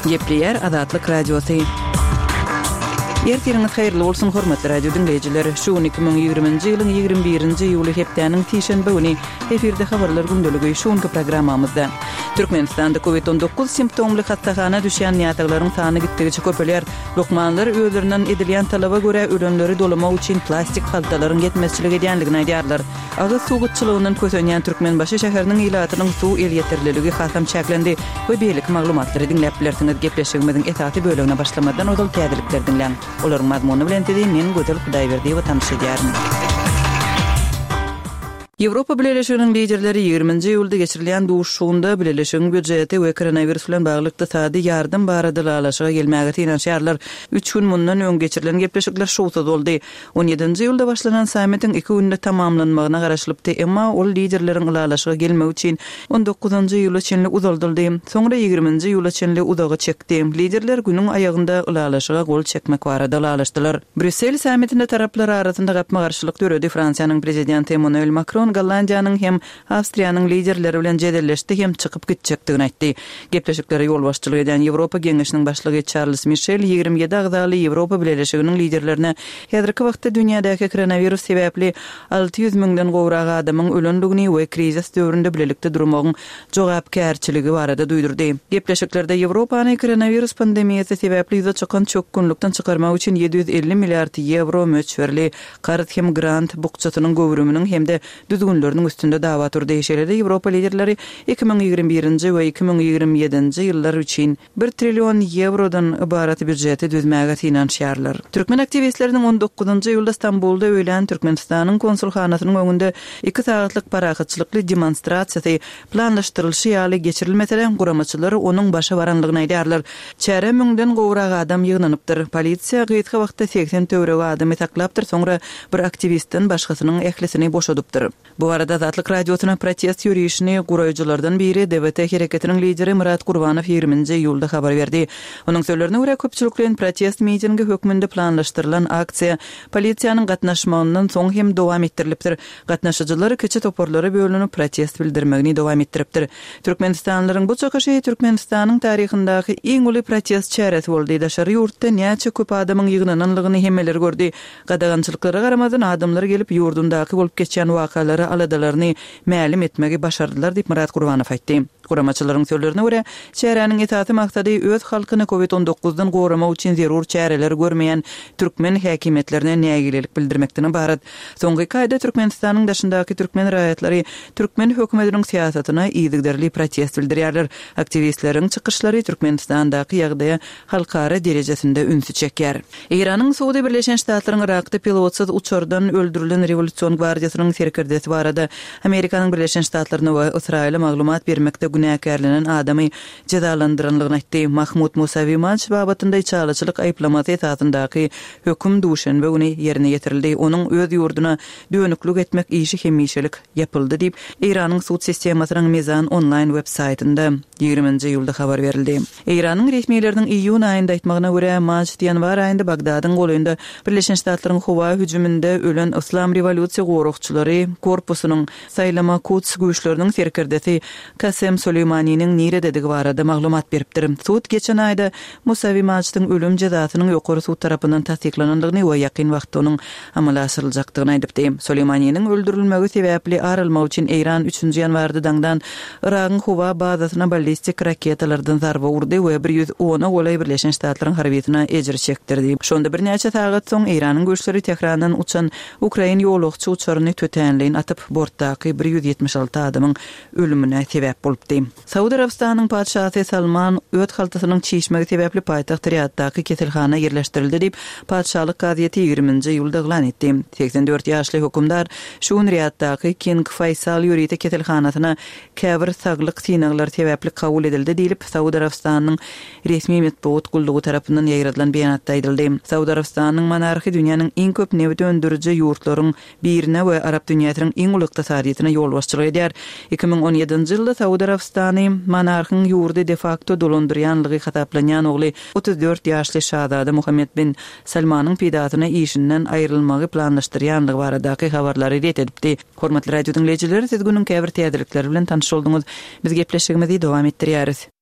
Gepleýär Azatlyk Radiosy. Ertiriňiz haýyrly bolsun, hormatly radio diňleýjiler! Şu gün 2020-nji ýylyň 21-nji iýuly hepdäniň sişenbe güni. Efirde habarlar gündeligi şu günki programmamyzda. Türkmenistanda Covid 19 simptomly hassahana düşýän näsaglaryň sany gitdigiçe köpelýär. Lukmanlar özlerinden edilýän talaba görä ölenleri dolamak üçin plastik haltalaryň ýetmezçilik edýändigini aýdýarlar. Agyz suw gytçylygyndan kösenýän Türkmenbaşy şäheriniň ilatynyň suw elýeterliligi hasam çäklendi we beýleki maglumatlary diňläp bilersiňiz. Gepleşigimiziň esasy bölegine başlamazdan ozal täzelikleri diňläň. Olaryň mazmuny bilen sizi men Gözel Hudaýberdiýewa tanyş edýärin. Ýewropa Bileleşiginiň liderleri ýigriminji iýulda geçirilýän duşuşygynda Bileleşigiň býujeti we koronawirus bilen bagly ykdysady ýardam barada ylalaşyga gelmäge synanyşýarlar. Üç gün mundan öň geçirilen gepleşikler şowsuz boldy. On ýedinji iýulda başlanan sammitiň iki günde tamamlanmagyna garaşylypdy, emma ol liderleriň ylalaşyga gelmegi üçin on dokuzynjy iýula çenli uzaldyldy, soňra ýigriminji iýula çenli uzaga çekdi. Liderler günüň aýagynda ylalaşyga gol çekmek barada ylalaşdylar. Brýussel sammitinde taraplar arasynda gapma-garşylyk döredi, Fransiýanyň prezidenti Emmanuel Makron Gollandiýanyň hem Awstriýanyň liderleri bilen jedelleşdi hem çykyp gitjekdigini aýtdy. Gepleşiklere ýolbaşçylyk edýän Ýewropa Geňeşiniň başlygy Çarlz Mişel 27 agzaly Ýewropa Bileleşiginiň liderlerine häzirki wagtda dünýädäki koronawirus sebäpli 600 müňden gowrak adamyň ölendigini we krizis döwründe bilelikde durmagyň jogapkärçiligi barada duýdurdy. Gepleşiklerde Ýewropany koronawirus pandemiýasy sebäpli ýüze çykan çökgünlikden çykarmak üçin 750 milliard ýewro möçberli karz hem grant bukjasynyň göwrüminiň hem-de düzgünleriniň üstünde dawa turdy. Şeýle-de Ýewropa liderleri 2021-nji we 2027-nji ýyllar üçin bir trillion ýewrodan ybarat býujeti düzmäge synanyşýarlar. Türkmen aktiwistleriniň on dokuzynjy iýulda Stambulda öýlän Türkmenistanyň konsulhanasynyň öňünde iki sagatlyk parahatçylykly demonstrasiýasy planlaşdyrylyşy ýaly geçirilmese-de, guramaçylar onuň başa baranlygyny aýdýarlar. Çärä müňden gowrak adam ýygnanypdyr. Polisiýa gysga wagtda 80 töweregi adamy saklapdyr, soňra bir aktiwistden başgasynyň ählisini boşadypdyr. Bu barada Azatlyk Radiosyna protest ýörişini guraýjylardan biri, DWT hereketiniň lideri Myrat Gurbanow ýigriminji iýulda habar berdi. Onuň sözlerine görä, köpçülikleýin protest mitingi hökmünde planlaşdyrylan aksiýa polisiýanyň gatnaşmagyndan soň hem dowam etdirilipdir. Gatnaşyjylar kiçi toparlara bölünip protest bildirmegini dowam etdiripdir. Türkmenistanlylaryň bu çykyşy Türkmenistanyň taryhyndaky iň uly protest çäresi boldy. Daşary ýurtda näçe köp adamyň ýygnananlygyny hemmeler gördi. Gadagançylyklara garamazdan adamlar gelip ýurdundaky bolup geçýän wakalara aladalaryny mälim etmegi başardylar diýip Myrat Gurbanow aýtdy. Guramaçylaryň sözlerine görä, çäräniň esasy maksady öz halkyny Covid on dokuzdan goramak üçin zerur çäreleri görmeýän türkmen häkimiýetlerine nägilelik bildirmekden ybarat. Soňky iki aýda Türkmenistanyň daşyndaky türkmen raýatlary türkmen hökümetiniň syýasatyna yzygiderli protest bildirýärler. Aktiwistleriň çykyşlary Türkmenistandaky ýagdaýa halkara derejesinde ünsi çekýär. Eýranyň sudy Birleşen Ştatlaryň Yrakda pilotsyz uçardan öldürilen Rewolýusion gwardiýasynyň serkerdesi barada Amerikanyň Birleşen Ştatlaryna we Ysraýyla maglumat bermekde günäkärlenen adamy jezalandyranlygyny aýtdy. Mahmud Musawi Maj babatynda içalyçylyk aýyplamasy esasyndaky höküm duşenbe güni ýerine ýetirildi. Onuň öz ýurduna dönüklik etmek işi hemişelik ýapyldy diýip, Eýranyň sud sistemasynyň Mizan onlaýn web saýtynda ýigriminji iýulda habar berildi. Eýranyň resmileriniň iýun aýynda aýtmagyna görä, Majd ýanwar aýynda Bagdadyň golaýynda Birleşen Ştatlaryň howa hüjüminde ölen Yslam rewolýusiýa goragçylary korpusynyň Saýlama Kuds güýçleriniň serkerdesi Kasem Soleýmaniniň nirededigi barada maglumat beripdir. Sud geçen aýda Musawi Majdyň ölüm jezasynyň ýokary sud tarapyndan tassyklanandygyny we ýakyn wagtda onuň amala aşyryljakdygyny aýdypdy. Soleýmaniniň öldürilmegi sebäpli ar almak üçin Eýran üçünji ýanwarda daňdan Yragyň howa bazasyna ballistik raketalardan zarba urdy we bir ýüz ona golaý Birleşen Ştatlaryň harbysyna ejir çekdirdi. Şonda birnäçe sagat soň Eýranyň güýçleri Tährandan uçan ukrain ýolagçy uçaryny tötänleýin atyp, bortdaky 176 adamyň ölümine sebäp bolupdy. Saud Arabystanynyň patyşasy Salman öt haltasynyň çişmegi sebäpli paýtagt Riýaddaky keselhana ýerleşdirildi diýip, patyşalyk gazeti ýigriminji iýulda yglan etdi. 84 ýaşly hökümdar şu gün Riýaddaky King Faýsal ýörite keselhanasyna käbir saglyk synaglary sebäpli kabul edildi diýlip, Saud Arabystanynyň resmi metbugat gullugy tarapyndan ýaýradylan beýanatda aýdyldy. Saud Arabystanynyň monarhy dünýäniň iň köp nebit öndüriji ýurtlaryň birine we arap dünýäsiniň iň uly ykdysadyýetine ýolbaşçylyk edýär. 2017-nji ýylda Saud Arabystany monarhyň ýurdy de-fakto dolandyrýanlygy hasaplanýan ogly 34 ýaşly şazada Muhammed bin Salmanyň peýdasyna işinden aýrylmagy planlaşdyrýanlygy baradaky habarlary ret edipdi. Hormatly radio diňleýjiler, siz günüň käbir täzelikleri bilen tanyş bolduňyz. Biz gepleşigimizi dowam etdirýäris.